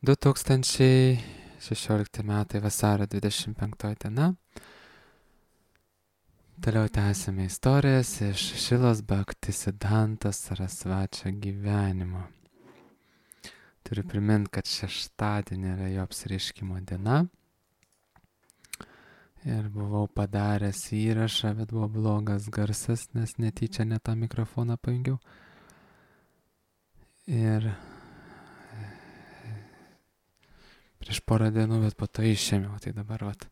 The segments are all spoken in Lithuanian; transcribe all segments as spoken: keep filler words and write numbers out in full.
du tūkstančiai šešiolikti metai vasario dvidešimt penktoji diena. Toliau tęsime istorijas iš Šilos Bhaktisiddhanta Sarasvačio gyvenimo. Turiu priminti, kad šeštadienį yra jo apsireiškimo diena. Ir buvau padaręs įrašą, bet buvo blogas garsas, nes netyčia ne tą mikrofoną pajungiau. Ir prieš porą dienų, bet po to išėmiau, tai dabar vat,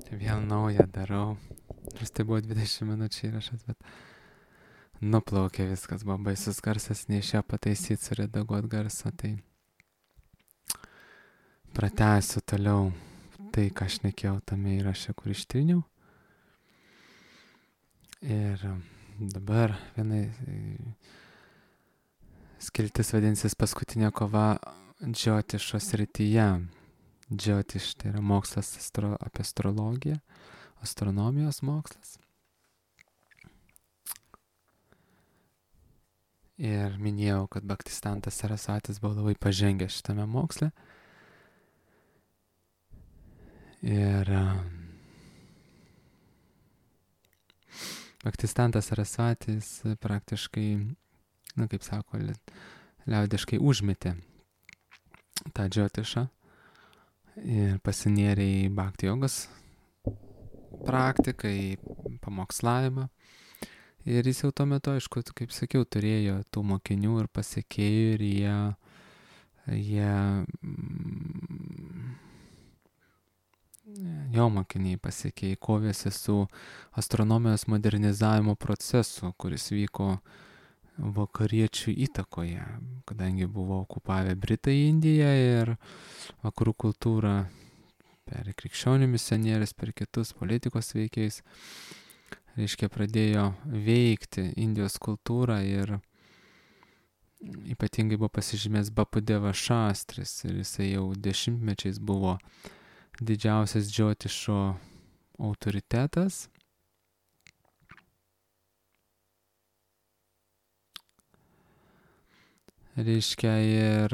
vėl naują darau. Nors tai buvo dvidešimt minučių įrašas, bet nuplaukė viskas, buvo baisus garsas, neišėjo pataisyti, suredaguoti garsą, tai pratęsiu toliau tai, ką aš šnekėjau tame įraše, kur ištryniau. Ir dabar viena skiltis vadinsis paskutinė kova Džiotišo srityje. Džiotiš tai yra mokslas astro, apie astrologiją, astronomijos mokslas. Ir minėjau, kad Bhaktisiddhantas Sarasvatis buvo labai pažengęs šitame moksle. Ir Bhaktisiddhantas Sarasvatis praktiškai, na kaip sako, liaudiškai užmetė tą džiotišą ir pasinėrė į bhakti jogos praktiką, į pamokslavimą. Ir jis jau tuo metu, aišku, kaip sakiau, turėjo tų mokinių ir pasekėjų ir jie, jie jo mokiniai pasekėjai kovėsi su astronomijos modernizavimo procesu, kuris vyko vakariečių įtakoje, kadangi buvo okupavę Britai Indiją ir vakarų kultūrą per krikščionių misionierius, per kitus politikos veikėjus, reiškia, pradėjo veikti Indijos kultūrą ir ypatingai buvo pasižymės Bapudeva Šastris ir jisai jau dešimtmečiais buvo didžiausias džiotišo autoritetas. Reiškia, ir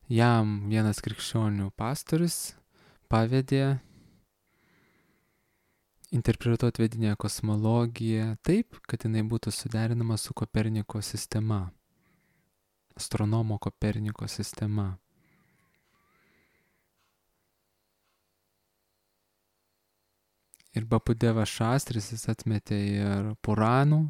jam vienas krikščionių pastorius pavedė interpretuoti vedinę kosmologiją taip, kad jinai būtų suderinama su Koperniko sistema, astronomo Koperniko sistema. Ir Bapudeva Šastris jis atmetė ir Puranų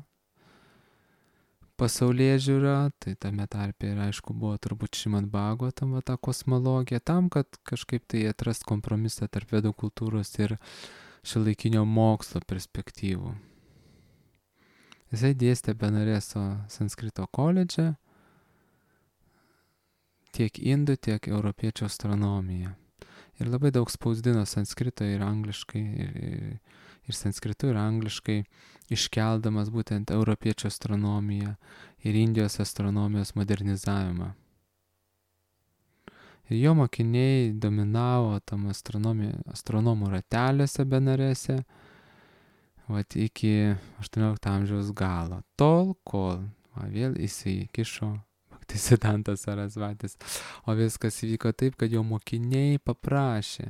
pasaulėžiūrą, tai tame tarpe ir aišku buvo turbūt Šrimad Bhagavatam ta kosmologija, tam, kad kažkaip tai atrast kompromisą tarp vedų kultūros ir šiuolaikinio mokslo perspektyvų. Jisai dėstė Benareso Sanskrito koledže tiek indų, tiek europiečių astronomiją. Ir labai daug spausdino sanskrito ir angliškai, ir, ir, ir sanskritu ir angliškai, iškeldamas būtent europiečių astronomiją ir Indijos astronomijos modernizavimą. Ir jo mokiniai dominavo tam astronomų rateliuose Benarese, vat iki aštuoniolikto amžiaus galo, tol, kol va, vėl įsikišo Bhaktisiddhantas Sarasvatis. O viskas įvyko taip, kad jo mokiniai paprašė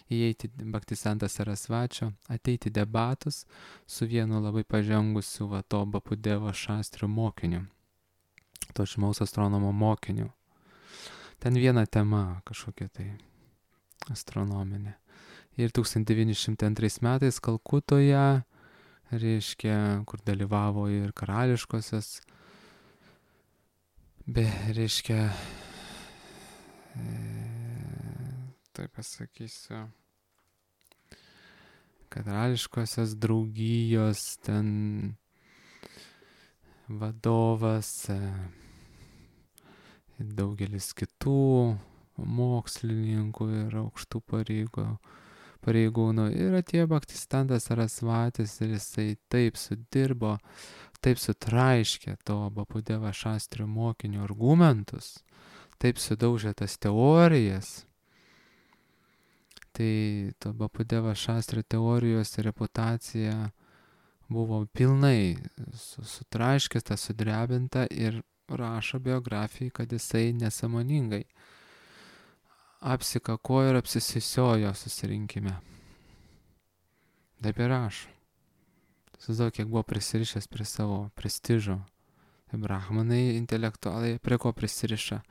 įeiti Bhaktisiddhantas Sarasvačio, ateiti debatus su vienu labai pažengusiu va to Bapudevo Šastrio mokiniu, to žymaus astronomo mokiniu. Ten viena tema kažkokia tai astronominė. Ir tūkstantis devyni šimtai antrais metais Kalkutoje, reiškia, kur dalyvavo ir karališkosios, be, reiškia, e, taip pasakysiu, karališkosios draugijos ten vadovas, e, daugelis kitų mokslininkų ir aukštų pareigų, pareigūnų. Ir atėjo Bhaktisiddhantas Sarasvatis ir jisai taip sudirbo, taip sutraiškė to Bapudeva Šastrio mokinio argumentus, taip sudaužė tas teorijas. Tai to Bapudeva Šastrio teorijos reputacija buvo pilnai sutraiškėta, sudrebinta ir rašo biografijai, kad jisai nesąmoningai apsikakojo ir apsisisiojo susirinkime. Taip ir rašo. Susidau, kiek buvo prisirišęs prie savo prestižo. Tai brahmanai intelektualai prie ko prisiriša?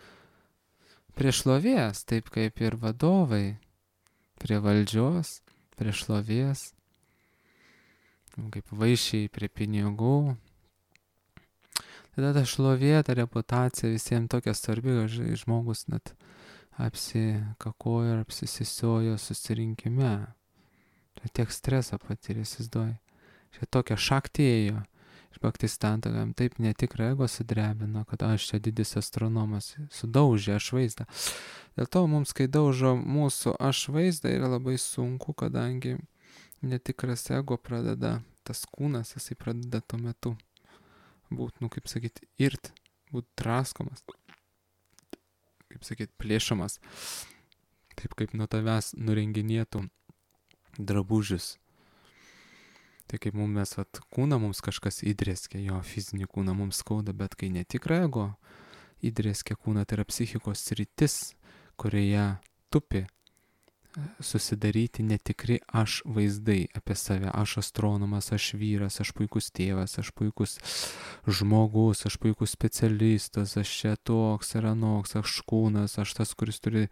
Prie šlovės, taip kaip ir vadovai. Prie valdžios, prie šlovės. Kaip vaišiai prie pinigų. Tada ta šlovė, ta reputacija visiems tokia svarbi, kad žmogus net apsikakojo ir apsisisiojo susirinkime. Tai tiek streso patyrė, įsivaizduoji. Čia tokia šaktėjo. Iš Bhaktistanto jam taip netikrą ego sudrebino, kad aš čia didis astronomas, sudaužė aš vaizdą. Dėl to mums, kai daužo mūsų aš vaizdą, yra labai sunku, kadangi netikras ego pradeda, tas kūnas, jisai pradeda tuo metu būt, nu kaip sakyti, irt, būt draskomas, kaip sakyti, plėšomas, taip kaip nuo tavęs nurenginėtų drabužius. Tai kaip mums mes, vat, kūną mums kažkas įdrėskė, jo fizinį kūną mums skauda, bet kai netikra ego įdrėskė kūną, tai yra psichikos sritis, kurioje tupi susidaryti netikri aš vaizdai apie save. Aš astronomas, aš vyras, aš puikus tėvas, aš puikus žmogus, aš puikus specialistas, aš čia toks ir anoks, aš kūnas, aš tas, kuris turi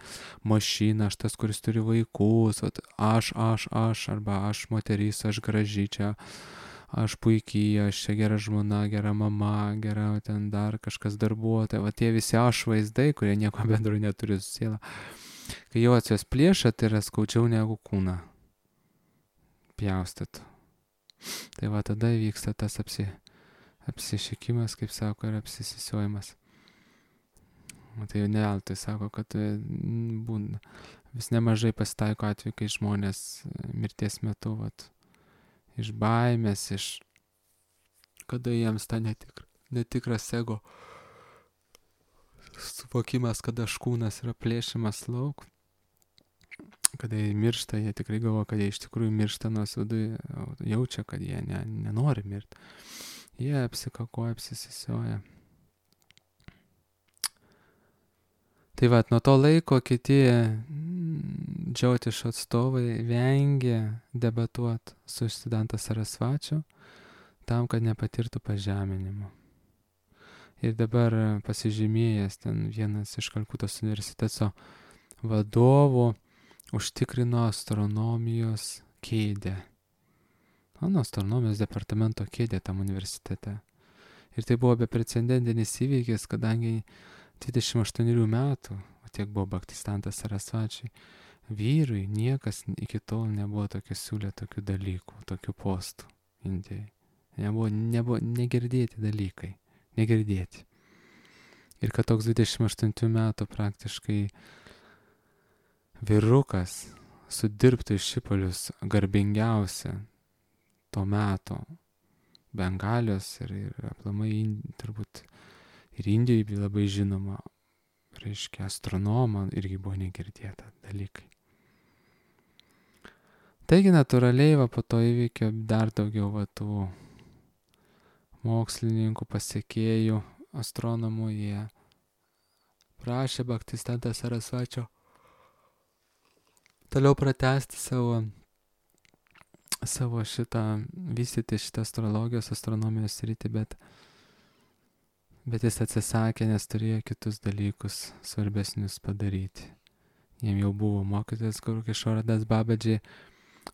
mašiną, aš tas, kuris turi vaikus, aš, aš, aš, arba aš moteris, aš graži čia, aš puikiai, aš čia gera žmona, gera mama, gera ten dar kažkas darbuotoja. Va tie visi aš vaizdai, kurie nieko bendro neturi su siela. Kai jau atsios plėšia, tai yra skaudžiau negu kūną pjaustytų. Tai va tada vyksta tas apsi, apsišykimas, kaip sako, ir apsisisiojimas. Tai jau neveltui sako, kad būna, vis nemažai pasitaiko atveju, kai žmonės mirties metu, vat, iš baimės, iš kada jiems ta netikra, netikras ego suvokimas, kada kūnas yra plėšimas lauk, kada jie miršta, jie tikrai galvoja, kad jie iš tikrųjų miršta, nors viduje jaučia, kad jie ne, nenori mirti. Jie apsikakoja, apsisisioja. Tai va, nuo to laiko kiti džiautišo atstovai vengė debatuoti su Siddhanta Sarasvačiu tam, kad nepatirtų pažeminimo. Ir dabar pasižymėjęs ten vienas iš Kalkutos universiteto vadovų užtikrino astronomijos kėdę. Mano astronomijos departamento kėdę tam universitete. Ir tai buvo beprecedentinis įvykis, kadangi dvidešimt aštuonerių metų, o tiek buvo Bhaktistantas Sarasvačiai, vyrui niekas iki tol nebuvo tokių siūlę tokių dalykų, tokių postų Indijai. Nebuvo, nebuvo negirdėti dalykai. Negirdėti. Ir kad toks dvidešimt aštuonių metų praktiškai vyrukas sudirbtų iš Šipolius garbingiausia to meto Bengalijos ir, ir aplamai turbūt ir Indijoje labai žinoma, reiškia, astronomą irgi buvo negirdėta dalykai. Taigi natūraliai va po to įvykio dar daugiau va tų mokslininkų, pasiekėjų, astronomų, jie prašė Bhaktistantą Sarasvačio toliau pratęsti savo, savo šitą, vystyti šitą astrologijos, astronomijos sritį, bet, bet jis atsisakė, nes turėjo kitus dalykus svarbesnius padaryti. Jiem jau buvo mokytojas Guru Kishora Das Babaji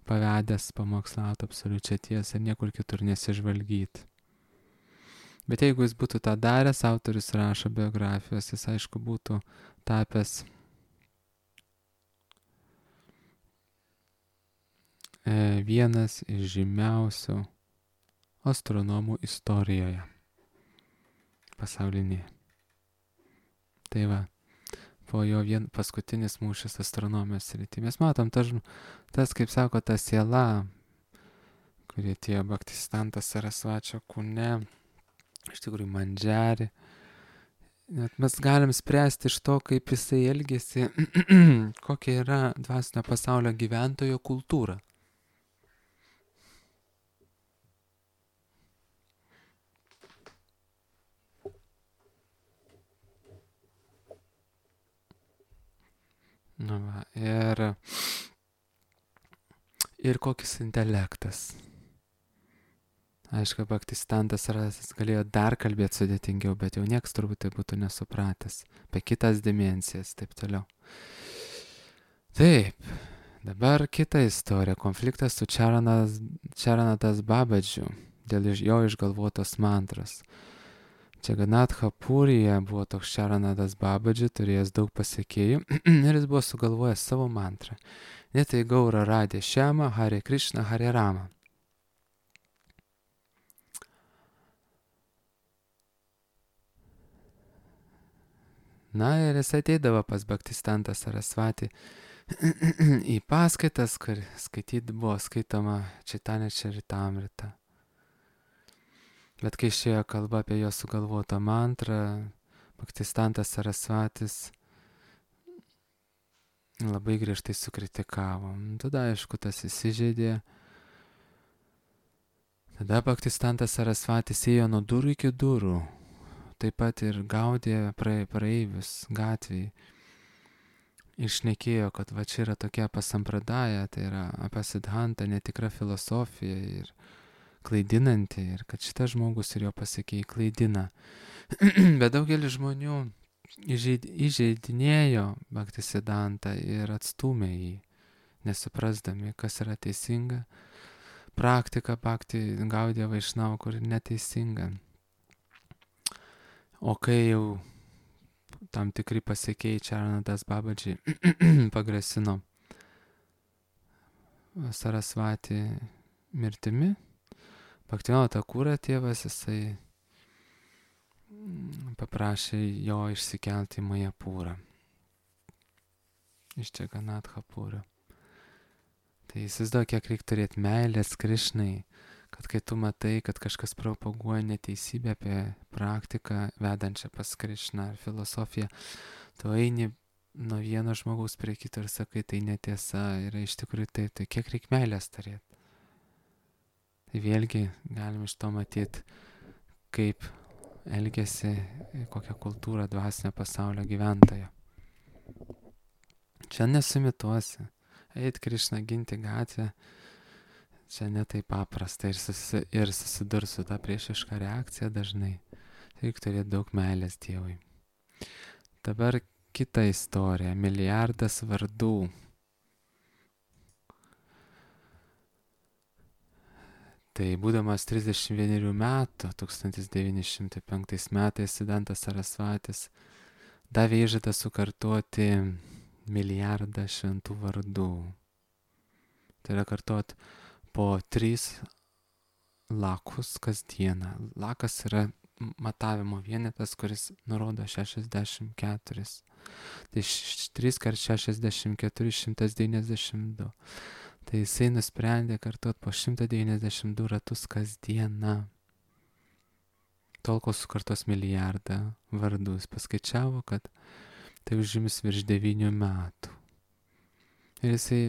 pavedęs pamokslauti absoliučią tiesą ir niekur kitur nesižvalgyti. Bet jeigu jis būtų tą daręs, autorius rašo biografijos, jis aišku būtų tapęs e, vienas iš žymiausių astronomų istorijoje pasaulinėje. Tai va, po jo vien paskutinis mūšis astronomijos srity. Mes matom, tas, tas kaip sako, ta siela, kurie tie Bhaktistantas Sarasvačio kūne, iš tikrųjų mandžiari. Net mes galim spręsti iš to, kaip jisai elgėsi, kokia yra dvasinio pasaulio gyventojo kultūra. Nu, va, ir, ir kokis intelektas. Aišku, Bhaktisiddhantas Sarasvatis galėjo dar kalbėti sudėtingiau, bet jau nieks turbūt tai būtų nesupratęs. Apie kitas dimensijas, taip toliau. Taip, dabar kita istorija. Konfliktas su Čaranadas, Čaranadas Babadžiu dėl jo išgalvotos mantros. Džaganatha Purija buvo toks Čaranadas Babadži, turėjęs daug pasiekėjų ir jis buvo sugalvojęs savo mantrą. Netai Gaura Radė Šema, Hare Krishna, Hare Rama. Na ir jis ateidavo pas Bhaktisiddhantą Sarasvatį į paskaitas, kur skaityti buvo skaitoma Chaitanya Charitamrita. Bet kai išėjo kalba apie jo sugalvotą mantrą, Bhaktisiddhantas Sarasvatis labai griežtai sukritikavo. Tada, aišku, tas įsižeidė. Tada Bhaktisiddhantas Sarasvatis ėjo nuo durų iki durų. Taip pat ir gaudė praeivius gatvėje. Išnekėjo, kad va čia yra tokia pasampradaja, tai yra apie Siddhantą netikra filosofija ir klaidinanti, ir kad šitas žmogus ir jo pasiekėjai klaidina. Bet daugelis žmonių įžeidinėjo Bhaktisiddhantą ir atstūmė jį, nesuprasdami, kas yra teisinga. Praktika Bhakti Gaudija Vaišnava, kur neteisinga. O kai jau tam tikri pasiekėjai Čaranadas Babadži pagrasino Sarasvatį mirtimi, Bhaktivinoda Thakura tėvas, jisai paprašė jo išsikelti į Majapūrą iš Džaganatha Pūrio. Tai įsivaizduoju, kiek reikia turėti meilės Krišnai, kad kai tu matai, kad kažkas propaguoja neteisybę apie praktiką vedančią pas Krišną ar filosofiją, tu eini nuo vieno žmogaus prie kito ir sakai, tai netiesa, yra iš tikrųjų taip, tai kiek reikia meilės turėti. Tai vėlgi galim iš to matyti, kaip elgiasi kokią kultūrą dvasinio pasaulio gyventojo. Čia nesimituosi. Eit Krišną ginti gatvę, čia netai paprasta ir, susi, ir susidurs su tą priešišką reakciją dažnai. Reikia turėti daug meilės Dievui. Dabar kita istorija. Milijardas vardų. Tai būdamas trisdešimt vienerių metų, tūkstantis devyni šimtai penktais metais, Siddhantas Sarasvatis davė įžadą sukartoti milijardą šventų vardų. Tai yra kartuot po tris lakus kasdieną. Lakas yra matavimo vienetas, kuris nurodo šešiasdešimt keturis. Tai trys kart šešiasdešimt keturi, šimtas devyniasdešimt du. Tai jisai nusprendė kartuot po šimtą devyniasdešimt du ratus kasdieną. Tol, kol sukartos milijardą vardų. Jis paskaičiavo, kad tai užims virš devynių metų. Ir jisai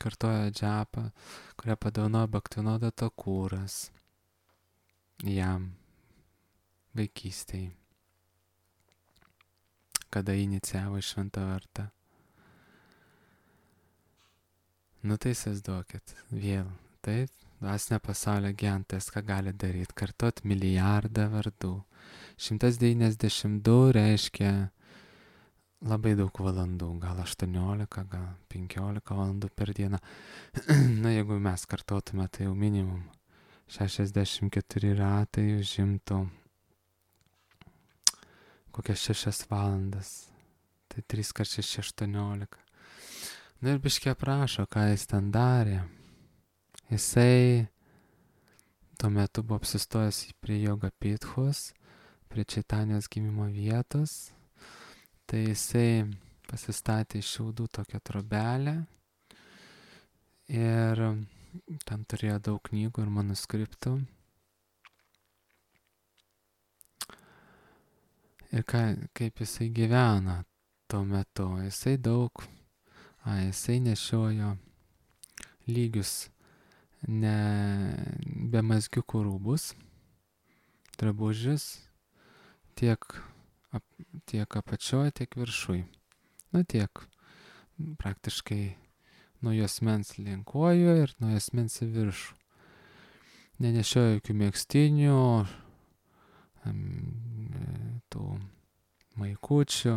kartojo džapą, kurią padovanojo Bhaktivinoda Thakuras jam vaikystėje, kada inicijavo į šventą vardą. Nu tai įsivaizduokit, vėl, taip, dvasinio pasaulio gyventojas, ką gali daryti, kartot milijardą vardų. šimtas devyniasdešimt du reiškia labai daug valandų, gal aštuoniolika, gal penkiolika valandų per dieną. Na, jeigu mes kartotume, tai jau minimum šešiasdešimt keturi ratai užimtų kokias šešias valandas. Tai trys kart šeši aštuoniolika. Na ir biškė aprašo, ką jis ten darė. Jisai tuo metu buvo apsistojęs prie Yoga Pithos, prie Čaitanijos gimimo vietos. Tai jisai pasistatė iš šiaudų tokią trobelę ir ten turėjo daug knygų ir manuskriptų. Ir ką, kaip jisai gyvena tuo metu. Jisai daug, a, jisai nešiojo lygius, ne be mazgiukų rūbus, drabužius, tiek, ap, tiek apačioje, tiek viršui. Nu tiek praktiškai nuo juosmens link kojų ir nuo juosmens į viršų. Nenešiojo jokių megztinių, tų maikučių,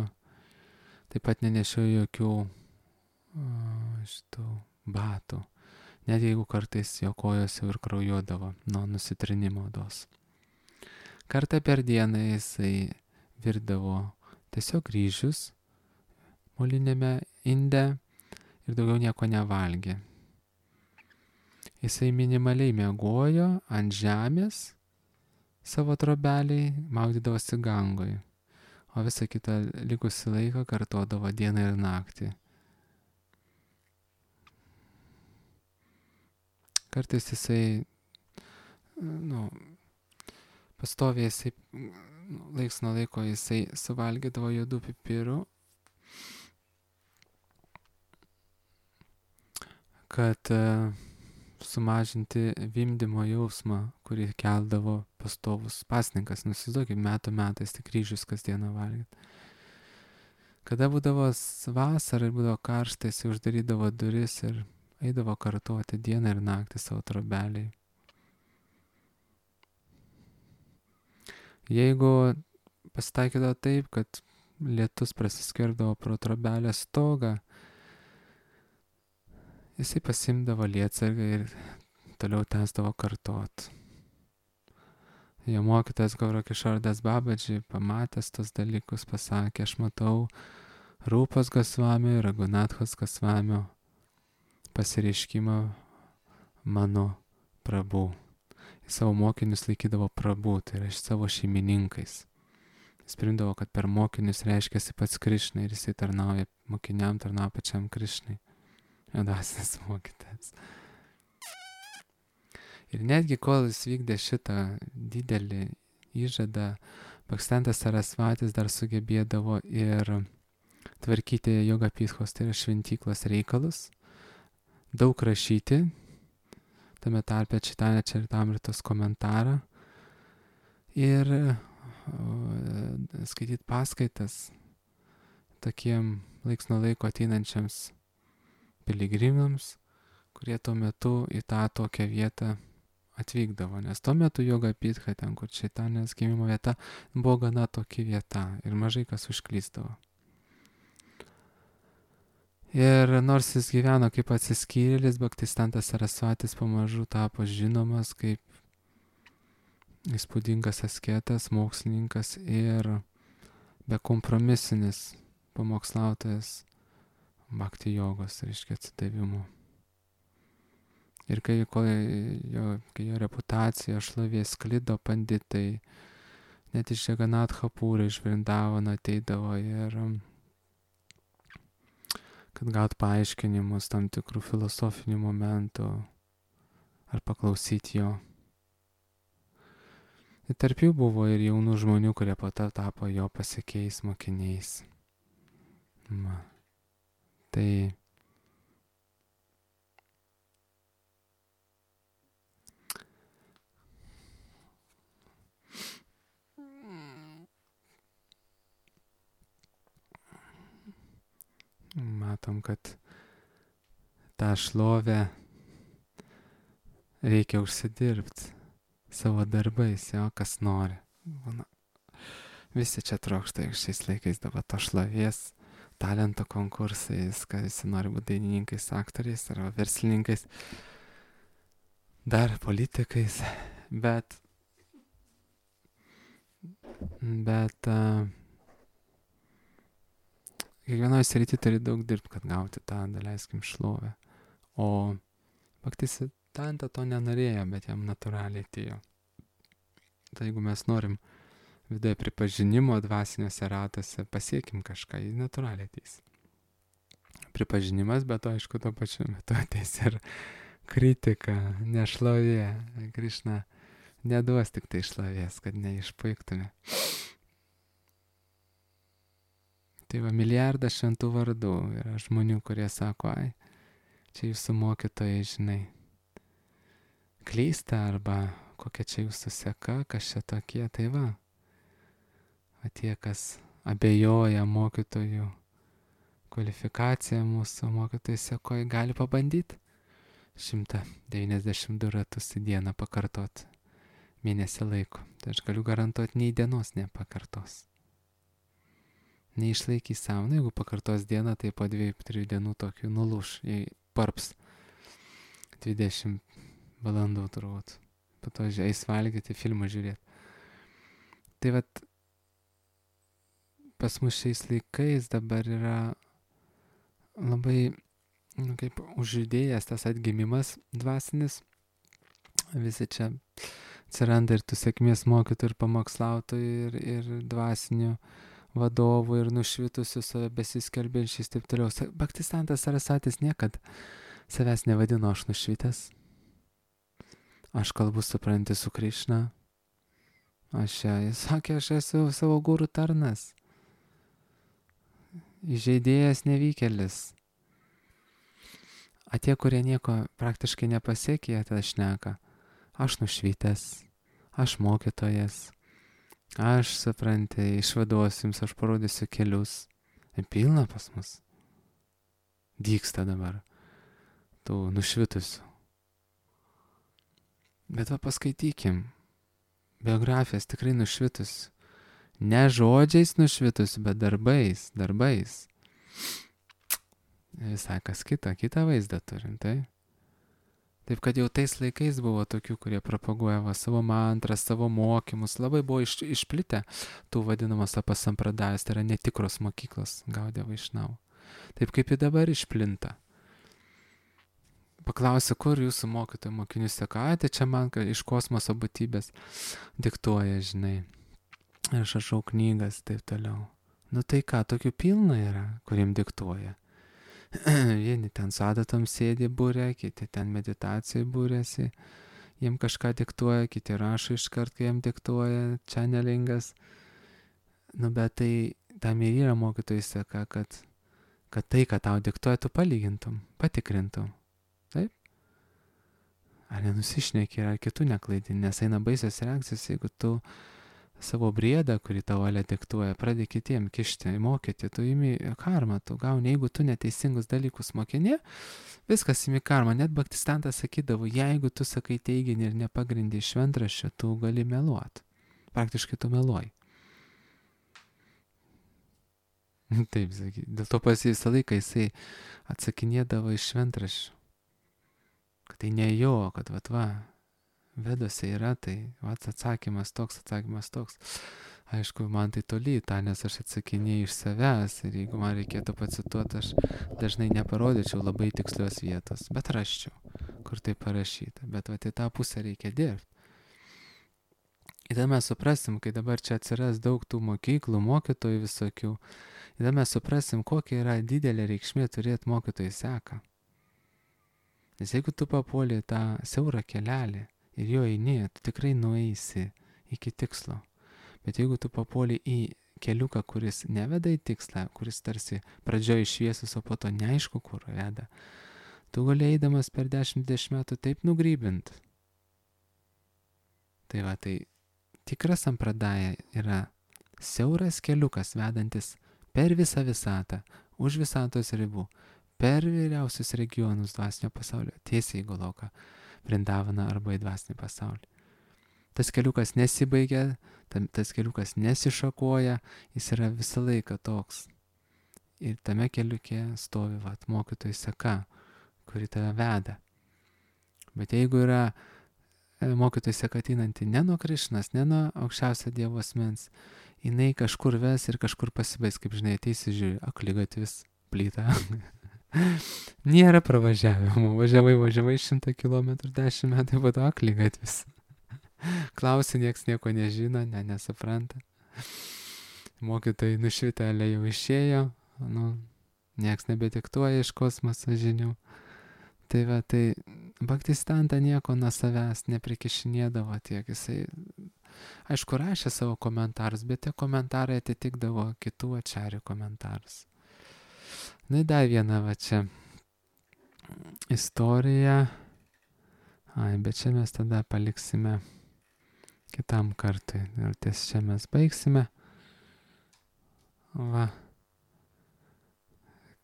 taip pat nenešiojo jokių šitų batų, net jeigu kartais jo kojos jau ir kraujuodavo nuo nusitrinimo odos. Kartą per dieną jisai virdavo tiesiog ryžius molinėme inde ir daugiau nieko nevalgė. Jisai minimaliai miegojo ant žemės savo trobeliai, maudydavosi gangoj, o visą kitą likusį laiką kartodavo dieną ir naktį. Kartais jisai, nu, pastoviai jisai, laiks nuo laiko jisai suvalgydavo juodų pipirų, kad sumažinti vimdymo jausmą, kurį keldavo pastovus pasninkas. Nusivaizduokit, metų metais tik ryžius kasdieną valgyt. Kada būdavo vasara ir būdavo karšta, jis uždarydavo duris ir eidavo kartoti dieną ir naktį savo trobeliai. Jeigu pasitaikydavo taip, kad lietus prasiskverbdavo pro trobelės stogą, jisai pasimdavo lietsargą ir toliau tęsdavo kartot. Jo mokytojas Gaura Kišardas Babadži, pamatęs tos dalykus, pasakė, aš matau Rūpos Gosvamio ir Ragunathos Gosvamio pasireiškimą mano prabų. Jis savo mokinius laikydavo prabų, tai yra savo šeimininkais. Jis primdavo, kad per mokinius reiškiasi pats Krišna ir jisai tarnauja mokiniam, tarnauja pačiam Krišnai. Dvasinis mokytojas. Ir netgi kol jis vykdė šitą didelį įžadą, Bhaksivedanta Sarasvatis dar sugebėdavo ir tvarkyti Yoga Pithos, tai yra šventyklos reikalus, daug rašyti, tame tarpe Chaitanya Charitamritos komentarą ir skaityti paskaitas tokiem laiks nuo laiko ateinančiams piligrimams, kurie tuo metu į tą tokią vietą atvykdavo. Nes tuo metu Yoga Pitha, ten kur Čaitanės gimimo vieta, buvo gana tokia vieta ir mažai kas užklysdavo. Ir nors jis gyveno kaip atsiskyrėlis, Bhaktisiddhantas Sarasvatis pamažu tapo žinomas kaip įspūdingas asketas, mokslininkas ir bekompromisinis pamokslautojas bhakti jogos, reiškia atsidavimo. Ir kai, jo, kai jo reputacija šlovė sklido, panditai, net iš Jaganatha Pūrio, iš Vrindavano ateidavo ir kad gaut paaiškinimus tam tikrų filosofinių momentų ar paklausyti jo. Ir tarp jų buvo ir jaunų žmonių, kurie po to tapo jo pasekėjais mokiniais. Ma. Tai matom, kad tą šlovę reikia užsidirbti savo darbais, jo, kas nori. Na, visi čia trokšta šiais laikais dabar to šlovės, talento konkursais, kad visi nori būti dainininkais, aktoriais arba verslininkais, dar politikais, bet bet uh, kiekvienoje srityje turi daug dirbti, kad gauti tą, daleiskim, šlovę. O Bhaktisiddhanta to nenorėjo, bet jam natūraliai atėjo. Tai jeigu mes norim viduje pripažinimo dvasiniuose ratuose, pasiekim kažką, jį natūraliai ateis. Pripažinimas, bet to, aišku, tuo pačiu metu ateis ir kritika, nešlovė. Krišna neduos tik tai šlovės, kad neišpuiktume. Tai va, milijardas šventų vardų yra žmonių, kurie sako, ai, čia jūsų mokytojai, žinai, klysta arba kokia čia jūsų seka, kas čia tokie, tai va. O tie, kas abejoja mokytojų kvalifikacija mūsų mokytojai sako, gali pabandyti šimtą devyniasdešimt du ratus į dieną pakartot mėnesį laiko. Tai aš galiu garantuoti, nei dienos nepakartos. Neišlaikys savo. Na, jeigu pakartos dieną, tai po dviejų, trijų dienų tokių nulūš, jei parps dvidešimt valandų turbūt. Po to eis valgyti, filmą žiūrėti. Tai vat, pas mus šiais laikais dabar yra labai, nu, kaip užjudėjęs tas atgimimas dvasinis. Visi čia atsiranda ir tų sėkmės mokytojų, ir pamokslautojų, ir, ir dvasinių vadovų, ir nušvitusių save besiskelbiančiais, taip toliau. Bhaktisantas Sarasatis niekad savęs nevadino aš nušvitęs. Aš kalbu, supranti, su Krišna. Aš čia, jis sakė, aš esu savo gurų tarnas. Įžeidėjas nevykėlis. A tie, kurie nieko praktiškai nepasiekė, jie tada šneka. Aš nušvitęs, aš mokytojas, aš, supranti, išvaduosiu jums, aš parodysiu kelius. Pilna pas mus. Dyksta dabar tų nušvitusių. Bet va paskaitykim. Biografijas tikrai nušvitusių. Ne žodžiais nušvitusių, bet darbais, darbais. Visai kas kita, kitą vaizdą turim, tai? Taip kad jau tais laikais buvo tokių, kurie propaguoja va, savo mantrą, savo mokymus, labai buvo iš, išplitę tų vadinamas apasampradajus, tai yra netikros mokyklos Gaudija Vaišnava. Taip kaip ir dabar išplinta. Paklausiu, kur jūsų mokytojų mokinių seka, tai čia man iš kosmoso būtybės diktuoja, žinai. Ir aš rašau knygas, taip toliau. Nu tai ką, tokių pilna yra, kuriem diktuoja. Vieni ten su adatom sėdi būrė, kiti ten meditacijai būrėsi, jiem kažką diktuoja, kiti rašo iškart, kai jiem diktuoja, channelingas. Nu bet tai tam ir yra mokytojai seka, kad, kad tai, kad tau diktuoja, tu palygintum, patikrintum. Taip? Ar nenusišneki, ar kitų neklaidini, nes eina baisios reakcijos, jeigu tu savo briedą, kurį tavo valia diktuoja, pradė kitiem kišti, mokyti, tu imi karmą, tu gauni, jeigu tu neteisingus dalykus mokini, viskas imi karmą. Net Bhaktisantas sakydavo, jeigu tu sakai teiginį ir nepagrindį šventraščio, tu gali meluoti. Praktiškai tu meluoji. Taip, saky, dėl to pas jį visą laiką jisai atsakinėdavo iš šventraščių. Kad tai ne jo, kad vat va, Vedose yra, tai vat atsakymas toks, atsakymas toks. Aišku, man tai toli tą, nes aš atsakinėjau iš savęs ir jeigu man reikėtų pacituoti, aš dažnai neparodyčiau labai tikslios vietos, bet raščiau, kur tai parašyta. Bet vat į tą pusę reikia dirbti. Ir tada mes suprasim, kai dabar čia atsiras daug tų mokyklų, mokytojų visokių, ir tada mes suprasim, kokia yra didelė reikšmė turėti mokytojų seką. Nes jeigu tu papuoli tą siaurą kelelį, ir jo eini, tu tikrai nueisi iki tikslo. Bet jeigu tu papuoli į keliuką, kuris neveda į tikslą, kuris tarsi pradžioje šviesus, o po to neaišku, kur veda, tu gali eidamas per dešimt metų taip nugrybint. Tai va, tai tikras sampradaja yra siauras keliukas vedantis per visą visatą, už visatos ribų, per vyriausius regionus dvasinio pasaulio, tiesiai į Goloką, Vrindavaną arba į dvasinį pasaulį. Tas keliukas nesibaigia, tas keliukas nesišakoja, jis yra visą laiką toks. Ir tame keliuke stovi vat, mokytojų seka, kuri tave veda. Bet jeigu yra mokytojų seka ateinanti ne nuo Krišnos, ne nuo aukščiausio Dievo asmens, jinai kažkur ves ir kažkur pasibaigs, kaip žinai, ateisi žiūri, akligatvis, plyta. Nėra pravažiavimo, važiavai, važiavai šimtą kilometrų, dešimt metų, po to akligatvis. Klausi, nieks nieko nežino, ne, nesupranta. Mokytojai nušvitelė jau išėjo, nu, nieks nebediktuoja iš kosmoso žinių. Tai va, tai Bhaktisiddhanta nieko nuo savęs neprikišinėdavo tiek, jisai, aišku, rašė savo komentarus, bet tie komentarai atitikdavo kitų ačarių komentarus. Na, dar viena va čia istorija. Ai, bet čia mes tada paliksime kitam kartui. Ir ties čia mes baigsime. Va.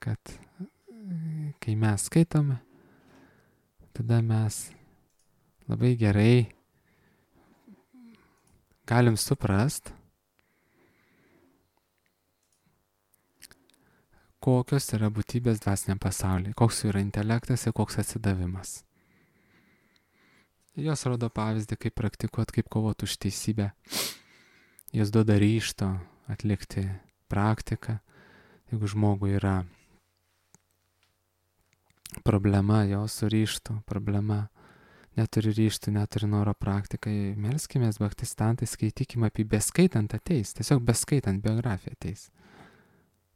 kad kai mes skaitome, tada mes labai gerai galim suprast, kokios yra būtybės dvasiniam pasaulyje, koks yra intelektas ir koks atsidavimas. Jos rodo pavyzdį, kaip praktikuot, kaip kovot už teisybę. Jos duoda ryžto atlikti praktiką. Jeigu žmogui yra problema, jo su ryžtu, problema, neturi ryžtų, neturi noro praktikai, melskimės bhaktistantai, skaitykime apie beskaitant ateis, tiesiog beskaitant biografiją ateis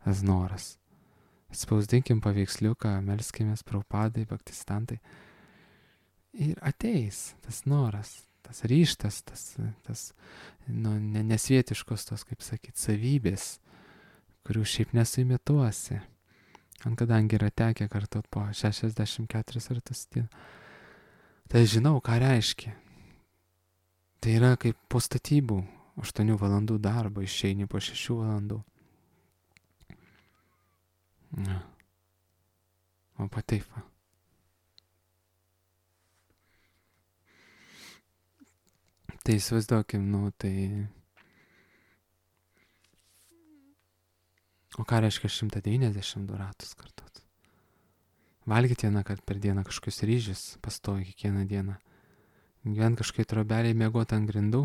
tas noras. Spausdinkim paveiksliuką, melskimės Prabhupadai, bhaktistantai ir ateis tas noras, tas ryžtas, tas, tas nu, nesvietiškos tos, kaip sakyt, savybės, kurių šiaip nesuimituosi. Ant kadangi yra tekę kartot po šešiasdešimt keturis kartus dieną, tai žinau, ką reiškia. Tai yra kaip po statybų, aštuonių valandų darbo išeini po šešių valandų. Na. O taip va. Tai įsivaizduokim, nu tai... O ką reiškia šimtas devyniasdešimt du ratus kartot? Valgyti vieną kartą per dieną kažkokius ryžius, pastovi kiekvieną dieną. Gyvent kažkai trobeliai, mėgot ant grindų,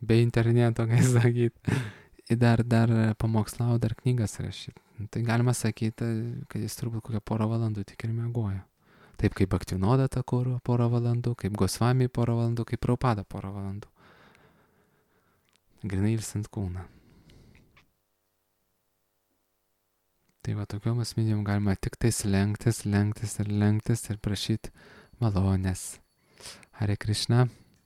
be interneto, kaip sakyt. Ir dar, dar pamokslau, dar knygas rašyti. Tai galima sakyti, kad jis turbūt kokią porą valandų tik ir mėgojo. Taip kaip Bhaktivinoda Thakura porą valandų, kaip Gosvami porą valandų, kaip Prabhupada porą valandų. Grinai ilsint kūną. Tai va tokiom asmenybėm galima tik tais lenktis, lenktis ir lenktis ir prašyti malonės. Hare Krishna.